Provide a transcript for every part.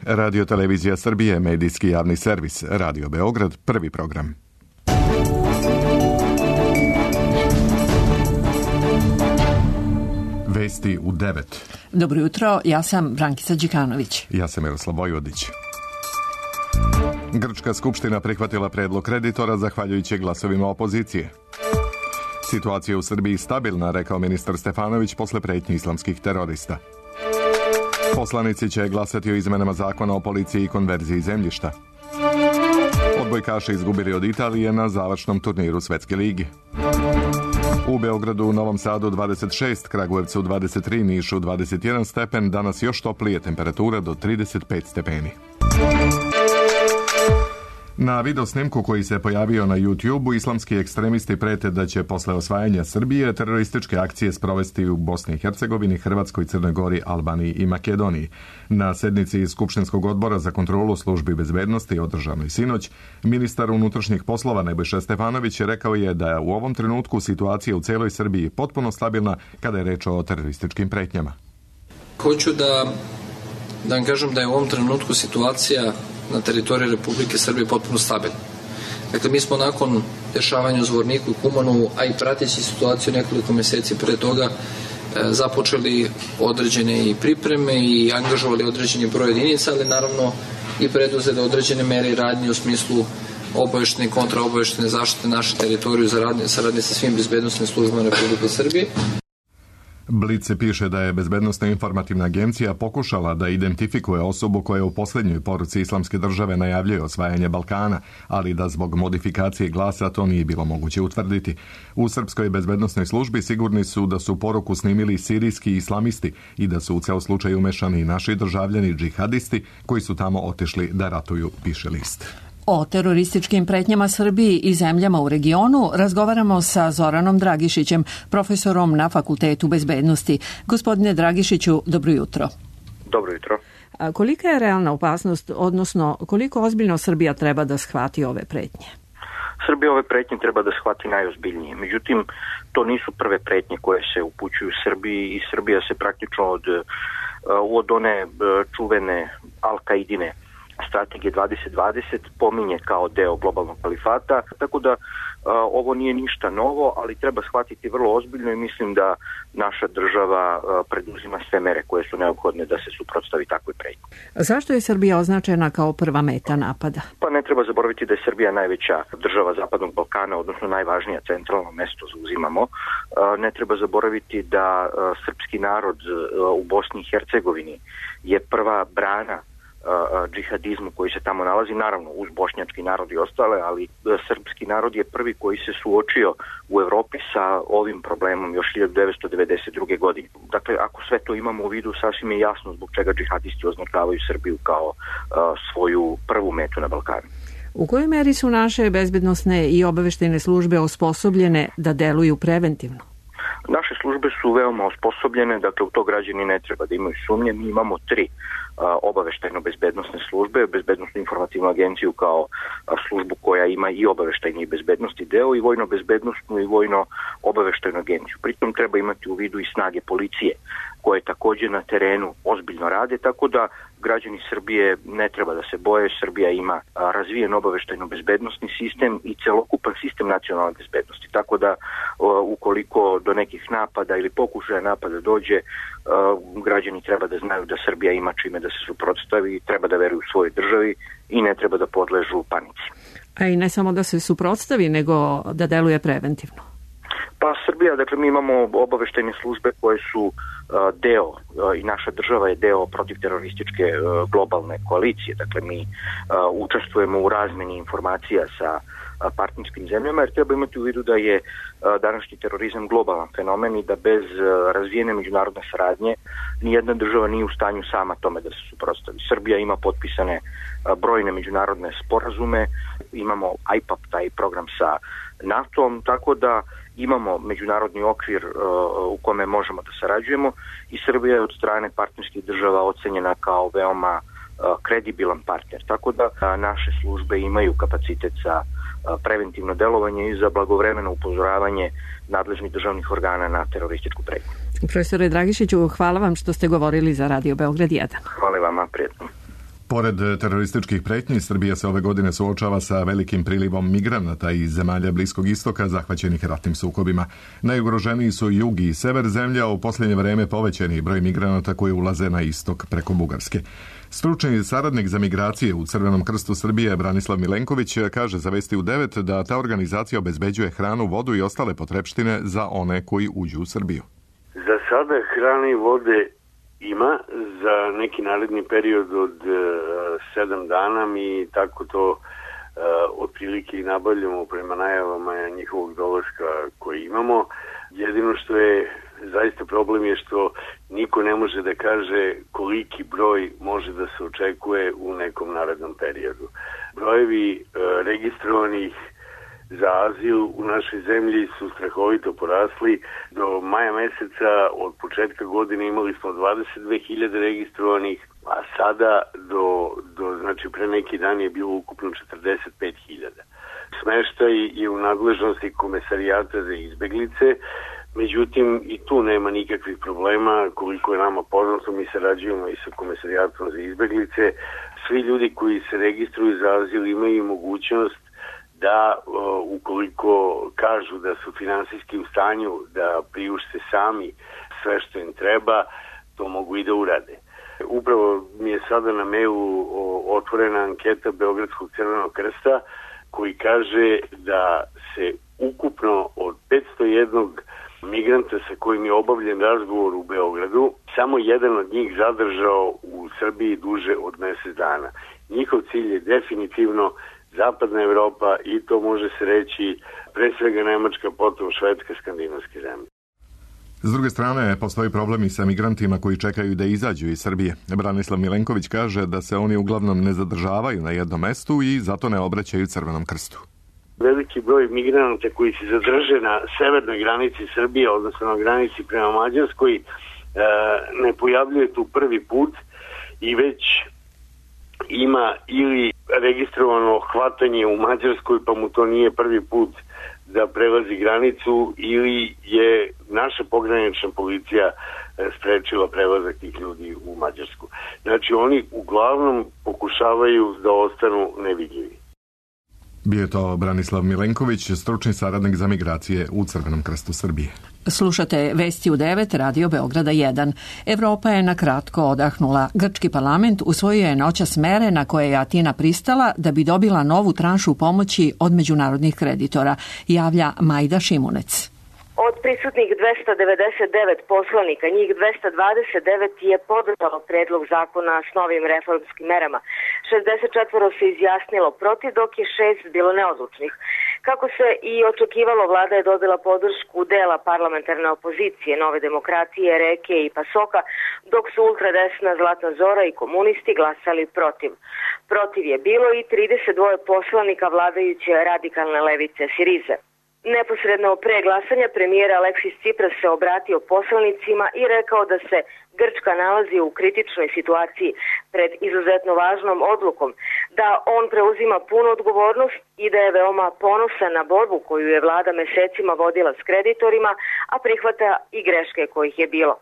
Radio Televizija Srbije, medijski javni servis, Radio Beograd, prvi program. Vesti u 9. Dobro jutro, ja sam Brankica Đikanović. Ja sam Miroslav Vojvodić. Grčka skupština prihvatila predlog kreditora zahvaljujući glasovima opozicije. Situacija u Srbiji stabilna, rekao ministar Stefanović posle pretnji islamskih terorista. Poslanici će glasati o izmenama zakona o policiji i konverziji zemljišta. Odbojkaši izgubili od Italije na završnom turniru Svetske ligi. U Beogradu, u Novom Sadu 26, Kragujevcu 23, Nišu 21 stepen, danas još toplije, temperatura do 35 stepeni. Na videosnimku koji se pojavio na YouTube-u, islamski ekstremisti prete da će posle osvajanja Srbije terorističke akcije sprovesti u Bosni i Hercegovini, Hrvatskoj, Crnoj Gori, Albaniji i Makedoniji. Na sednici Skupštinskog odbora za kontrolu službi bezbednosti održanoj sinoć, ministar unutrašnjih poslova Nebojša Stefanović rekao je da je u ovom trenutku situacija u celoj Srbiji potpuno stabilna kada je reč o terorističkim pretnjama. Hoću da vam kažem da je u ovom trenutku situacija na teritoriji Republike Srbije potpuno stabilna. Dakle, mi smo nakon dešavanja u Zvorniku i Kumanu, a i prateći situaciju nekoliko meseci pre toga, započeli određene i pripreme i angažovali određeni broj jedinica, ali naravno i preduzeli određene mere i radnje u smislu obaveštene i kontraobaveštene zaštite naše teritoriju saradnje sa svim bezbednosnim službama Republike Srbije. Blic piše da je Bezbednosna informativna agencija pokušala da identifikuje osobu koja u posljednjoj poruci Islamske države najavljuje osvajanje Balkana, ali da zbog modifikacije glasa to nije bilo moguće utvrditi. U Srpskoj bezbednosnoj službi sigurni su da su poruku snimili sirijski islamisti i da su u ceo slučaj umešani naši državljani džihadisti koji su tamo otišli da ratuju, piše list. O terorističkim pretnjama Srbiji i zemljama u regionu razgovaramo sa Zoranom Dragišićem, profesorom na Fakultetu bezbednosti. Gospodine Dragišiću, dobro jutro. Dobro jutro. Kolika je realna opasnost, odnosno koliko ozbiljno Srbija treba da shvati ove pretnje? Srbija ove pretnje treba da shvati najozbiljnije. Međutim, to nisu prve pretnje koje se upućuju Srbiji i Srbija se praktično od one čuvene Al-Kaidine strategije 2020 pominje kao deo globalnog kalifata, tako da ovo nije ništa novo, ali treba shvatiti vrlo ozbiljno i mislim da naša država preduzima sve mere koje su neophodne da se suprotstavi takvoj pretnji. Zašto je Srbija označena kao prva meta napada? Pa ne treba zaboraviti da je Srbija najveća država Zapadnog Balkana, odnosno najvažnija, centralno mesto zauzimamo. Ne treba zaboraviti da srpski narod u Bosni i Hercegovini je prva brana džihadizmu koji se tamo nalazi, naravno uz bošnjački narod i ostale, ali srpski narod je prvi koji se suočio u Evropi sa ovim problemom još 1992. godine. Dakle, ako sve to imamo u vidu, sasvim je jasno zbog čega džihadisti označavaju Srbiju kao svoju prvu metu na Balkanu. U kojoj meri su naše bezbednosne i obaveštajne službe osposobljene da deluju preventivno? Naše službe su veoma osposobljene, dakle u to građani ne treba da imaju sumnje. Mi imamo 3 obaveštajno-bezbednosne službe, Bezbednosnu informativnu agenciju kao službu koja ima i obaveštajni i bezbednosti deo i vojno-bezbednosnu i vojno-obaveštajnu agenciju. Pritom treba imati u vidu i snage policije koje također na terenu ozbiljno rade, tako da građani Srbije ne treba da se boje. Srbija ima razvijen obaveštajno-bezbednosni sistem i celokupan sistem nacionalne bezbednosti, tako da ukoliko do nekih napada ili pokušaja napada dođe, građani treba da znaju da Srbija ima čime da se suprotstavi, treba da veruju svojoj državi i ne treba da podležu panici. A i ne samo da se suprotstavi, nego da deluje preventivno. Pa Srbija, dakle mi imamo obaveštajne službe koje su deo i naša država je deo protivterorističke globalne koalicije. Dakle mi učestvujemo u razmeni informacija sa partnerskim zemljama jer treba imati u vidu da je današnji terorizam globalan fenomen i da bez razvijene međunarodne saradnje nijedna država nije u stanju sama tome da se suprotstavi. Srbija ima potpisane brojne međunarodne sporazume, imamo IPAP, taj program sa NATO-om, tako da imamo međunarodni okvir u kome možemo da sarađujemo i Srbija je od strane partnerskih država ocenjena kao veoma kredibilan partner. Tako da naše službe imaju kapacitet za preventivno delovanje i za blagovremeno upozoravanje nadležnih državnih organa na terorističku pretnju. Profesore Dragišiću, hvala vam što ste govorili za Radio Beograd 1. Hvala vama, prijetno. Pored terorističkih pretnji, Srbija se ove godine suočava sa velikim prilivom migranata iz zemalja Bliskog istoka zahvaćenih ratnim sukobima. Najugroženiji su jug i sever zemlje, a u posljednje vreme povećani broj migranata koji ulaze na istok preko Bugarske. Stručni saradnik za migracije u Crvenom krstu Srbije Branislav Milenković kaže za Vesti u 9 da ta organizacija obezbeđuje hranu, vodu i ostale potrepštine za one koji uđu u Srbiju. Za sada hrane i vode ima za neki naredni period od 7 dana. Mi tako to otprilike i nabavljamo prema najavama njihovog dolaska koji imamo. Jedino što je zaista problem je što niko ne može da kaže koliki broj može da se očekuje u nekom narednom periodu. Brojevi registrovanih za azil u našoj zemlji su strahovito porasli. Do maja meseca od početka godine imali smo 22.000 registrovanih, a sada znači pre neki dan je bilo ukupno 45.000. Smeštaj je u nadležnosti Komesarijata za izbeglice, međutim i tu nema nikakvih problema. Koliko je nama poznato, mi sarađujemo i sa Komesarijatom za izbeglice. Svi ljudi koji se registruju za azil imaju mogućnost da ukoliko kažu da su finansijski u stanju da priušte sami sve što im treba, to mogu i da urade. Upravo mi je sada na mailu otvorena anketa Beogradskog Crvenog krsta koji kaže da se ukupno od 501 migranta sa kojim je obavljen razgovor u Beogradu, samo jedan od njih zadržao u Srbiji duže od mjesec dana. Njihov cilj je definitivno Zapadna Evropa i to može se reći pre svega Nemačka, potom Švedska, skandinavske zemlje. S druge strane, postoji problem i sa migrantima koji čekaju da izađu iz Srbije. Branislav Milenković kaže da se oni uglavnom ne zadržavaju na jednom mestu i zato ne obraćaju Crvenom krstu. Veliki broj migranata koji se zadrže na severnoj granici Srbije, odnosno na granici prema Mađarskoj, ne pojavljuje tu prvi put i već ima ili registrovano hvatanje u Mađarskoj, pa mu to nije prvi put da prelazi granicu, ili je naša pogranična policija sprečila prelazak tih ljudi u Mađarsku. Znači oni uglavnom pokušavaju da ostanu nevidljivi. Bio je to Branislav Milenković, stručni saradnik za migracije u Crvenom krstu Srbije. Slušate Vesti u 9, Radio Beograda 1. Evropa je na kratko odahnula. Grčki parlament usvojio je noćas mere na koje je Atina pristala da bi dobila novu tranšu pomoći od međunarodnih kreditora, javlja Majda Šimunec. Od prisutnih 299 poslanika, njih 229 je podržalo predlog zakona s novim reformskim merama. 64 se izjasnilo protiv, dok je 6 bilo neodlučnih. Kako se i očekivalo, vlada je dobila podršku dela parlamentarne opozicije, Nove demokratije, Reke i Pasoka, dok su ultradesna Zlatna Zora i komunisti glasali protiv. Protiv je bilo i 32 poslanika vladajuće radikalne levice Sirize. Neposredno pre glasanja premijer Aleksis Cipras se obratio poslanicima i rekao da se Grčka nalazi u kritičnoj situaciji pred izuzetno važnom odlukom, da on preuzima punu odgovornost i da je veoma ponosan na borbu koju je vlada mesecima vodila s kreditorima, a prihvata i greške kojih je bilo.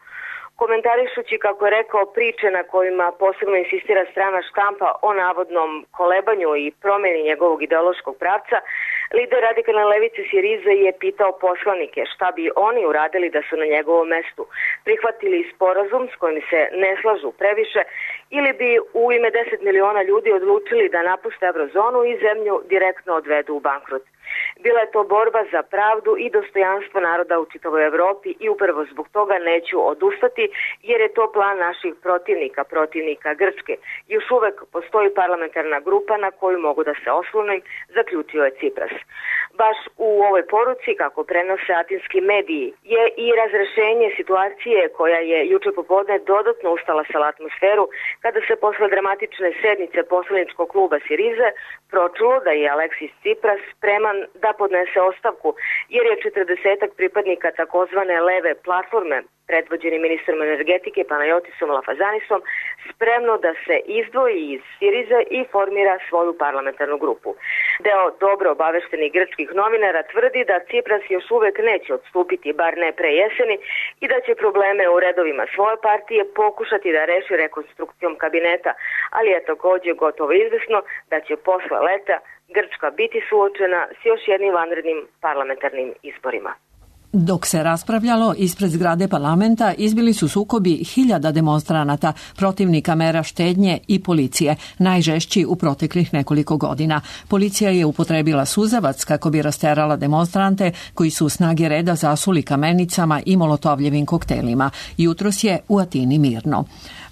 Komentarišući, kako je rekao, priče na kojima posebno insistira strana štampa o navodnom kolebanju i promjeni njegovog ideološkog pravca, lider radikalne levice Sirize je pitao poslanike šta bi oni uradili da su na njegovom mestu, prihvatili sporazum s kojim se ne slažu previše ili bi u ime 10 miliona ljudi odlučili da napuste eurozonu i zemlju direktno odvedu u bankrot. Bila je to borba za pravdu i dostojanstvo naroda u čitavoj Evropi i upravo zbog toga neću odustati, jer je to plan naših protivnika Grčke. Još uvek postoji parlamentarna grupa na koju mogu da se oslonim, zaključio je Cipras. Baš u ovoj poruci, kako prenose atinski mediji, je i razrešenje situacije koja je juče popodne dodatno ustalasala atmosferu kada se posle dramatične sednice poslaničkog kluba Sirize pročulo da je Aleksis Cipras spreman da podnese ostavku, jer je 40 pripadnika takozvane leve platforme predvođeni ministrom energetike Panajotisom Lafazanisom, spremno da se izdvoji iz Sirize i formira svoju parlamentarnu grupu. Deo dobro obaveštenih grčkih novinara tvrdi da Cipras još uvek neće odstupiti, bar ne pre jeseni, i da će probleme u redovima svoje partije pokušati da reši rekonstrukcijom kabineta, ali je takođe gotovo izvesno da će posle leta Grčka biti suočena s još jednim vanrednim parlamentarnim izborima. Dok se raspravljalo, ispred zgrade parlamenta izbili su sukobi hiljada demonstranata, protivnika mera štednje i policije, najžešći u proteklih nekoliko godina. Policija je upotrebila suzavac kako bi rasterala demonstrante koji su snage reda zasuli kamenicama i molotovljevim koktelima. Jutros je u Atini mirno.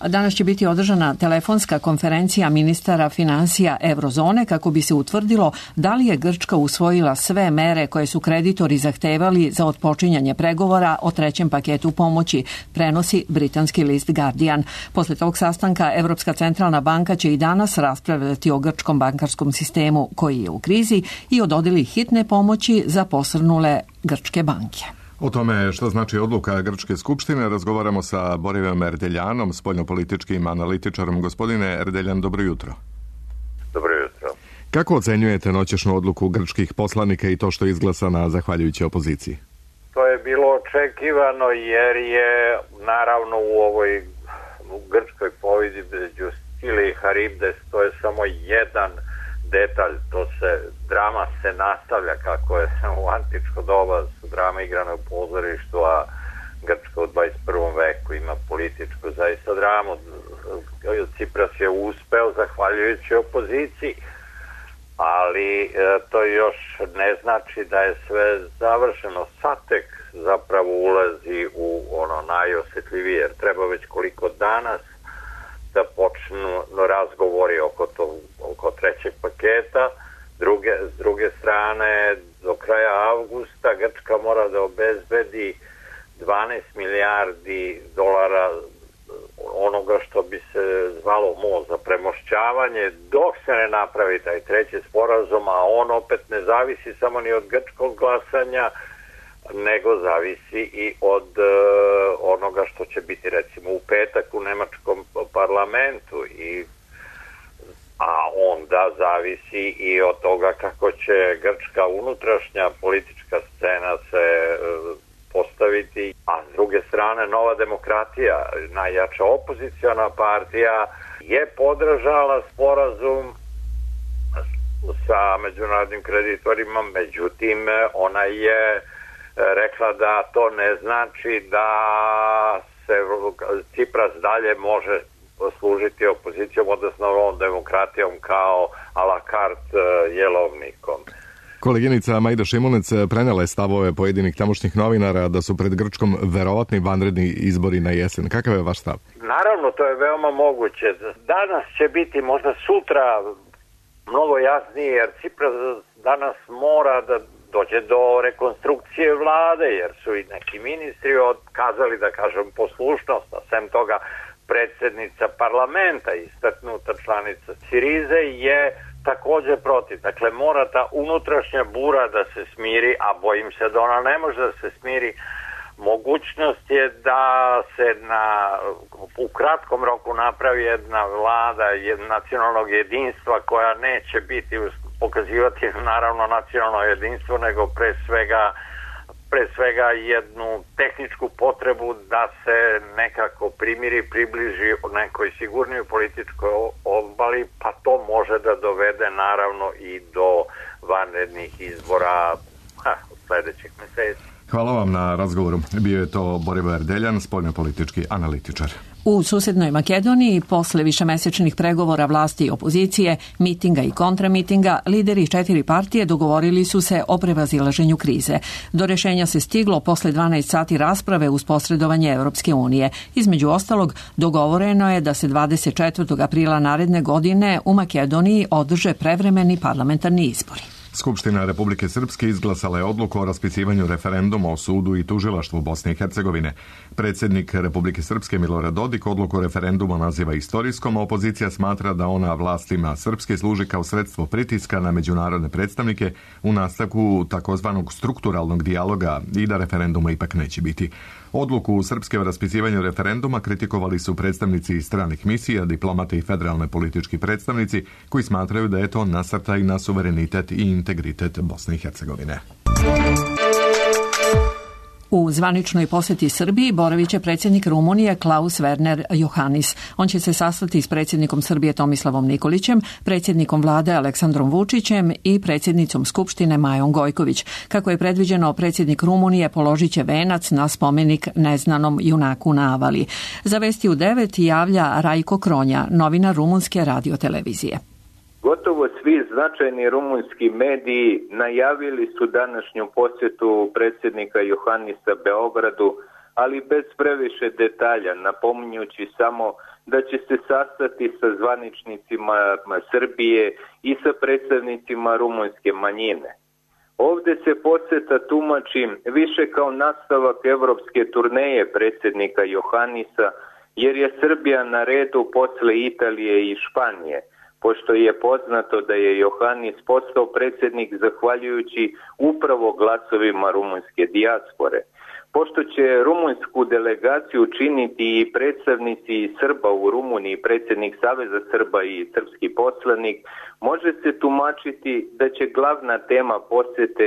Danas će biti održana telefonska konferencija ministara finansija Eurozone kako bi se utvrdilo da li je Grčka usvojila sve mere koje su kreditori zahtevali za otpočinjanje pregovora o trećem paketu pomoći, prenosi britanski list Guardian. Posle tog sastanka Evropska centralna banka će i danas raspravljati o grčkom bankarskom sistemu koji je u krizi i o dodeli hitne pomoći za posrnule grčke banke. O tome što znači odluka Grčke skupštine razgovaramo sa Borivom Erdeljanom, spoljnopolitičkim analitičarom. Gospodine Erdeljan, dobro jutro. Dobro jutro. Kako ocenjujete noćešnju odluku grčkih poslanika i to što je izglasana zahvaljujući opoziciji? To je bilo očekivano jer je naravno u grčkoj povijedi između Skile i Haribdes to je samo jedan detalj, drama se nastavlja kako je u antičko doba su drama igrane u pozorištu, a Grčka u 21. veku ima političku zaista dramu. Cipras je uspeo zahvaljujući opoziciji, ali to još ne znači da je sve završeno. Satek zapravo ulazi u ono najosjetljivije, jer treba već koliko danas da počnu razgovori oko trećeg paketa. S druge strane, do kraja avgusta Grčka mora da obezbedi 12 milijardi dolara onoga što bi se zvalo most za premošćavanje, dok se ne napravi taj treći sporazum, a on opet ne zavisi samo ni od grčkog glasanja, nego zavisi i od onoga što će biti recimo u petak u nemačkom parlamentu, a onda zavisi i od toga kako će grčka unutrašnja politička scena se postaviti, a s druge strane Nova demokratija, najjača opoziciona partija, je podržala sporazum sa međunarodnim kreditorima, međutim ona je rekla da to ne znači da se Cipras dalje može služiti opozicijom, odnosno Novom demokratijom kao a la carte jelovnikom. Koleginica Majda Šimunec prenela je stavove pojedinih tamošnjih novinara da su pred Grčkom verovatni vanredni izbori na jesen. Kakav je vaš stav? Naravno, to je veoma moguće. Danas će biti, možda sutra, mnogo jasnije, jer Cipras danas mora da dođe do rekonstrukcije vlade, jer su i neki ministri otkazali, da kažem, poslušnost, a sem toga predsjednica parlamenta, istaknuta članica Sirize, je također protiv. Dakle, mora ta unutrašnja bura da se smiri, a bojim se da ona ne može da se smiri. Mogućnost je da se u kratkom roku napravi jedna vlada nacionalnog jedinstva koja neće biti pokazivati naravno nacionalno jedinstvo, nego pre svega jednu tehničku potrebu da se nekako približi nekoj sigurnijoj političkoj obali, pa to može da dovede naravno i do vanrednih izbora od sljedećih mjeseci. Hvala vam na razgovoru. Bio je to Borivo Erdeljan, spoljnopolitički analitičar. U susednoj Makedoniji, posle višemesečnih pregovora vlasti i opozicije, mitinga i kontramitinga, lideri 4 partije dogovorili su se o prevazilaženju krize. Do rešenja se stiglo posle 12 sati rasprave uz posredovanje Europske unije. Između ostalog, dogovoreno je da se 24. aprila naredne godine u Makedoniji održe prevremeni parlamentarni izbori. Skupština Republike Srpske izglasala je odluku o raspisivanju referenduma o sudu i tužilaštvu Bosne i Hercegovine. Predsjednik Republike Srpske Milorad Dodik odluku referenduma naziva istorijskom, a opozicija smatra da ona vlastima Srpske služi kao sredstvo pritiska na međunarodne predstavnike u nastavku takozvanog strukturalnog dijaloga i da referenduma ipak neće biti. Odluku Srpske o raspisivanju referenduma kritikovali su predstavnici stranih misija, diplomati i federalni politički predstavnici koji smatraju da je to nasrtaj na suverenitet i integritet Bosne i Hercegovine. U zvaničnoj posjeti Srbiji boravit će predsjednik Rumunije Klaus Werner Iohannis. On će se sastati s predsjednikom Srbije Tomislavom Nikolićem, predsjednikom vlade Aleksandrom Vučićem i predsjednicom Skupštine Majom Gojković. Kako je predviđeno, predsjednik Rumunije položit će venac na spomenik neznanom junaku na Avali. Za Vesti u 9 javlja Rajko Kronja, novinar rumunske radiotelevizije. Gotovo svi značajni rumunski mediji najavili su današnju posjetu predsjednika Iohannisa Beogradu, ali bez previše detalja, napominjući samo da će se sastati sa zvaničnicima Srbije i sa predstavnicima rumunske manjine. Ovdje se posjeta tumači više kao nastavak evropske turneje predsjednika Iohannisa, jer je Srbija na redu posle Italije i Španije, pošto je poznato da je Iohannis postao predsjednik zahvaljujući upravo glasovima rumunjske dijaspore. Pošto će rumunjsku delegaciju činiti i predstavnici Srba u Rumuniji, predsjednik Saveza Srba i srpski poslanik, može se tumačiti da će glavna tema posjete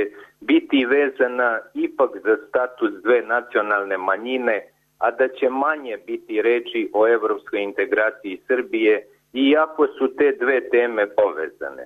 biti vezana ipak za status dve nacionalne manjine, a da će manje biti reči o evropskoj integraciji Srbije, iako su te dve teme povezane.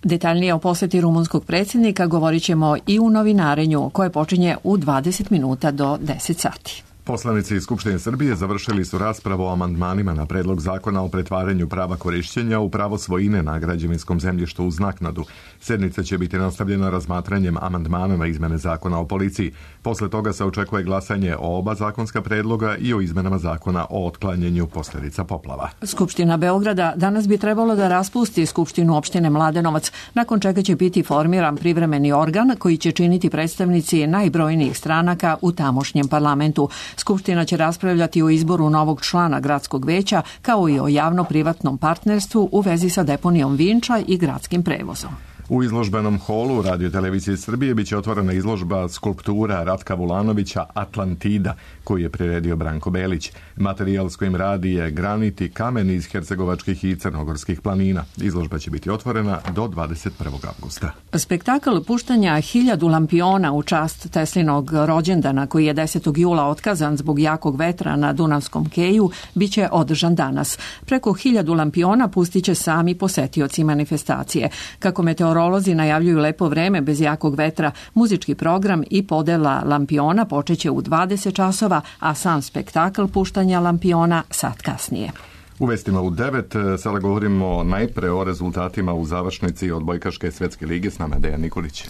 Detaljnije o posjeti rumunskog predsjednika govorit ćemo i u novinarenju koje počinje u 20 minuta do 10 sati. Poslanici iz Skupštine Srbije završili su raspravu o amandmanima na predlog zakona o pretvaranju prava korišćenja u pravo svojine na građevinskom zemljištu uz naknadu. Sjednica će biti nastavljena razmatranjem amandmana na izmene zakona o policiji. Posle toga se očekuje glasanje o oba zakonska predloga i o izmenama zakona o otklanjanju posljedica poplava. Skupština Beograda danas bi trebalo da raspusti Skupštinu opštine Mladenovac, nakon čega će biti formiran privremeni organ koji će činiti predstavnici najbrojnijih stranaka u tamošnjem parlamentu. Skupština će raspravljati o izboru novog člana gradskog veća, kao i o javno-privatnom partnerstvu u vezi sa deponijom Vinča i gradskim prevozom. U izložbenom holu Radiotelevizije Srbije biće otvorena izložba skulptura Ratka Vulanovića Atlantida, koju je priredio Branko Belić. Materijal s kojim radi je granit i kamen iz hercegovačkih i crnogorskih planina. Izložba će biti otvorena do 21. avgusta. Spektakl puštanja 1000 lampiona u čast Teslinog rođendana, koji je 10. jula otkazan zbog jakog vetra na Dunavskom keju, biće održan danas. Preko 1000 lampiona pustit će sami posetioci manifestacije. Kako meteorolozi najavljuju lepo vreme bez jakog vetra, muzički program i podela lampiona počeće u 20 časova, a sam spektakl puštanja lampiona sat kasnije. U vestima u 9 sada govorimo najpre o rezultatima u završnici odbojkaške svjetske lige. S nama je Dejan Nikolić.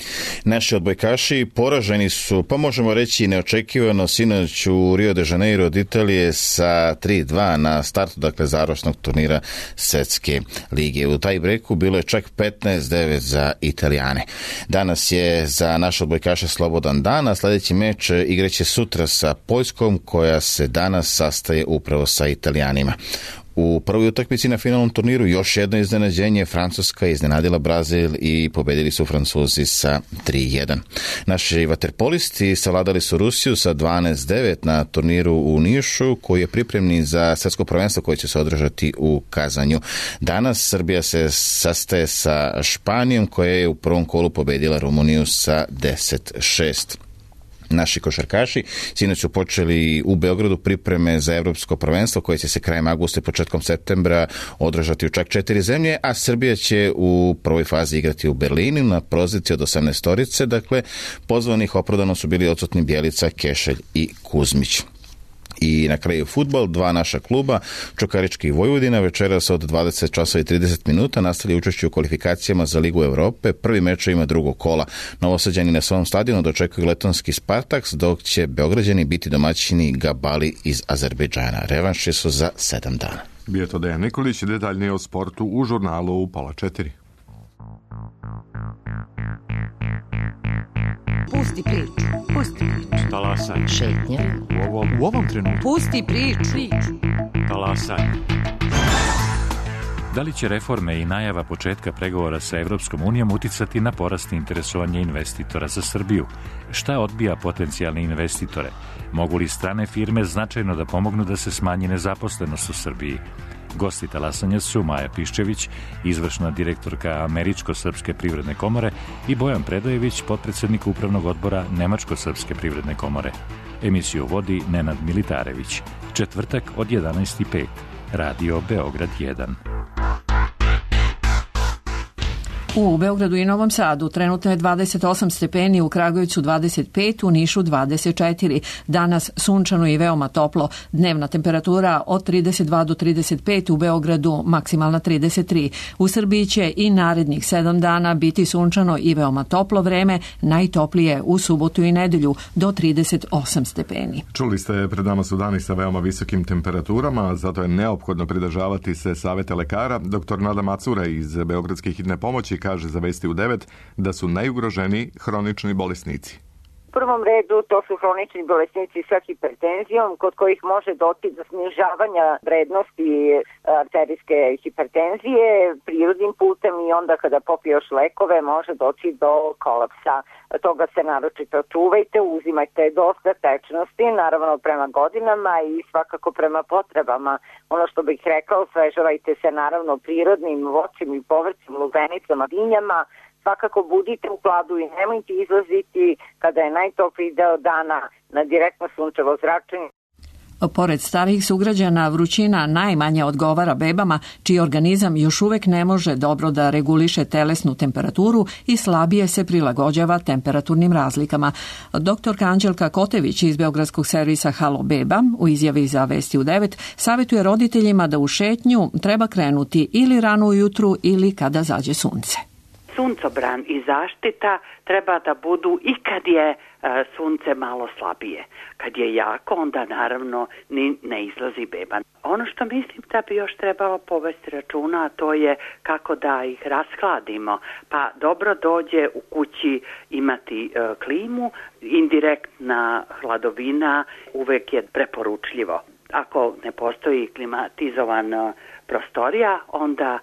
Naši odbojkaši poraženi su, pa možemo reći neočekivano, sinoć u Rio de Janeiro od Italije sa 3-2 na startu, dakle, završnog turnira svjetske lige. U taj breku bilo je čak 15-9 za Italijane. Danas je za naše odbojkaše slobodan dan, a sljedeći meč igraće sutra sa Poljskom, koja se danas sastaje upravo sa Italijanima. U prvoj utakmici na finalnom turniru još jedno iznenađenje. Francuska je iznenadila Brazil i pobedili su Francuzi sa 3-1. Naši vaterpolisti savladali su Rusiju sa 12-9 na turniru u Nišu, koji je pripremni za svjetsko prvenstvo koje će se održati u Kazanju. Danas Srbija se sastaje sa Španijom, koja je u prvom kolu pobedila Rumuniju sa 10-6. Naši košarkaši sinoć su počeli u Beogradu pripreme za evropsko prvenstvo koje će se krajem avgusta i početkom septembra održati u čak 4 zemlje, a Srbija će u prvoj fazi igrati u Berlinu na poziciji od 18-torice, dakle pozvanih opravdano su bili odsutni Bjelica, Kešelj i Kuzmić. I na kraju fudbal, dva naša kluba, Čukarički i Vojvodina, večeras od 20 časova i 30 minuta nastavlja učešće u kvalifikacijama za Ligu Europe. Prvi meč ima drugog kola. Novosađani na svom stadionu dočekuju letonski Spartaks, dok će Beograđani biti domaćini Gabali iz Azerbejdžana. Revanši su za 7 dana. Bio to Dejan Nikolić, detaljnije o sportu u žurnalu u 3:30. Pusti priču. Pusti priču. Talasaj. Šetnja. U ovom trenutku. Pusti priču. Talasaj. Da li će reforme i najava početka pregovora sa Evropskom unijom uticati na porast interesovanja investitora za Srbiju? Šta odbija potencijalne investitore? Mogu li strane firme značajno da pomognu da se smanji nezaposlenost u Srbiji? Gosti talasanja su Maja Piščević, izvršna direktorka Američko-srpske privredne komore, i Bojan Predojević, potpredsednik upravnog odbora Nemačko-srpske privredne komore. Emisiju vodi Nenad Militarević. Četvrtak od 11:05. Radio Beograd 1. U Beogradu i Novom Sadu trenutno je 28 stepeni, u Kragujevcu 25, u Nišu 24. Danas sunčano i veoma toplo. Dnevna temperatura od 32 do 35, u Beogradu maksimalna 33. U Srbiji će i narednih 7 dana biti sunčano i veoma toplo vreme, najtoplije u subotu i nedelju do 38 stepeni. Čuli ste, pred nama su dani sa veoma visokim temperaturama, zato je neophodno pridržavati se saveta lekara. Dr. Nada Macura iz Beogradske hitne pomoći kaže za Vesti u 9 da su najugroženiji hronični bolesnici. U prvom redu to su hronični bolesnici sa hipertenzijom, kod kojih može doći do snižavanja vrednosti arterijske hipertenzije prirodnim putem i onda kada popije još lekove može doći do kolapsa. Toga se naročito čuvajte, uzimajte dosta tečnosti, naravno prema godinama i svakako prema potrebama. Ono što bih rekao, osvežavajte se naravno prirodnim voćem i povrćem, lubenicama, vinjama. Svakako budite u hladu i nemojte izlaziti kada je najtopliji deo dana na direktno sunčevo zračenje. Pored starijih sugrađana, vrućina najmanje odgovara bebama, čiji organizam još uvek ne može dobro da reguliše telesnu temperaturu i slabije se prilagođava temperaturnim razlikama. Doktorka Anđelka Kotević iz Beogradskog servisa Halo Beba u izjavi za Vesti u 9 savjetuje roditeljima da u šetnju treba krenuti ili rano ujutru ili kada zađe sunce. Suncobran i zaštita treba da budu i kad je sunce malo slabije. Kad je jako, onda naravno ne izlazi beba. Ono što mislim da bi još trebalo povesti računa, to je kako da ih rashladimo. Pa dobro dođe u kući imati klimu, indirektna hladovina uvek je preporučljivo. Ako ne postoji klimatizovana prostorija, onda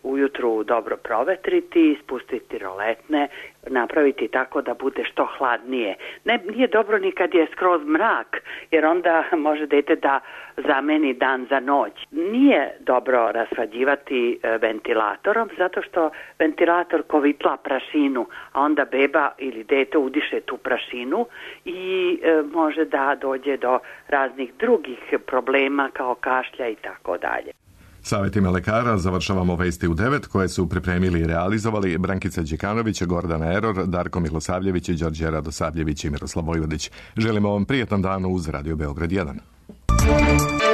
ujutru dobro provetriti, spustiti roletne, napraviti tako da bude što hladnije. Nije dobro ni kad je skroz mrak, jer onda može dete da zameni dan za noć. Nije dobro rashlađivati ventilatorom, zato što ventilator kovitla prašinu, a onda beba ili dete udiše tu prašinu i može da dođe do raznih drugih problema kao kašlja i tako dalje. Savjetima lekara završavamo Vesti u 9 koje su pripremili i realizovali Brankica Đekanović, Gordana Eror, Darko Milosavljević, Đorđe Radosavljević i Miroslav Vojvodić. Želimo vam prijetan dan uz Radio Beograd 1.